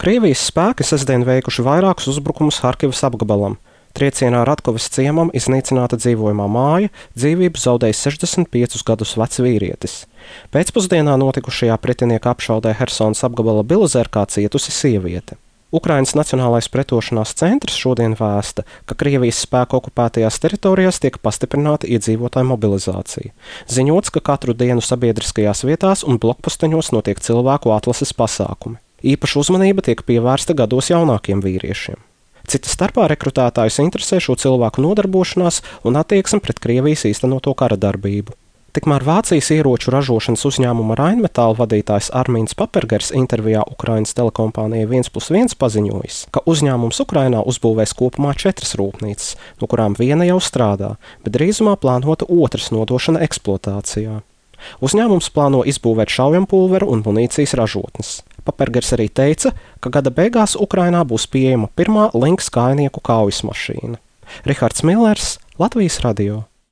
Krievijas spēki sestdien veikuši vairākus uzbrukumus Harkivas apgabalam. Triecienā Ratkovas ciemam iznīcināta dzīvojamā māja, dzīvību zaudējis 65 gadus vecs vīrietis. Pēcpusdienā notikušajā pretinieka apšaudē Hersonas apgabala Bilozerkā cietusi sieviete. Ukrainas Nacionālais pretošanās centrs šodien vēsta, ka Krievijas spēku okupētajās teritorijās tiek pastiprināta iedzīvotāju mobilizācija. Ziņots, ka katru dienu sabiedriskajās vietās un blokposteņos notiek cilvēku atlases pasākumi. Īpaša uzmanība tiek pievērsta gados jaunākiem vīriešiem. Cita starpā rekrutētājus interesē šo cilvēku nodarbošanās un attieksme pret Krievijas īstenoto kara darbību. Tikmēr Vācijas ieroču ražošanas uzņēmuma Rheinmetall vadītājs Armīns Papergers intervijā Ukrainas telekompānijai 1+1 paziņojis, ka uzņēmums Ukrainā uzbūvēs kopumā 4 rūpnīcas, no kurām viena jau strādā, bet drīzumā plānota otras nodošana eksploatācijā. Uzņēmums plāno izbūvēt šaujampuldveru un munīcijas ražotnes. Papergers arī teica, ka gada beigās Ukrainā būs pieejama pirmā Lynx kājnieku kaujas mašīna. Rihards Millers, Latvijas radio.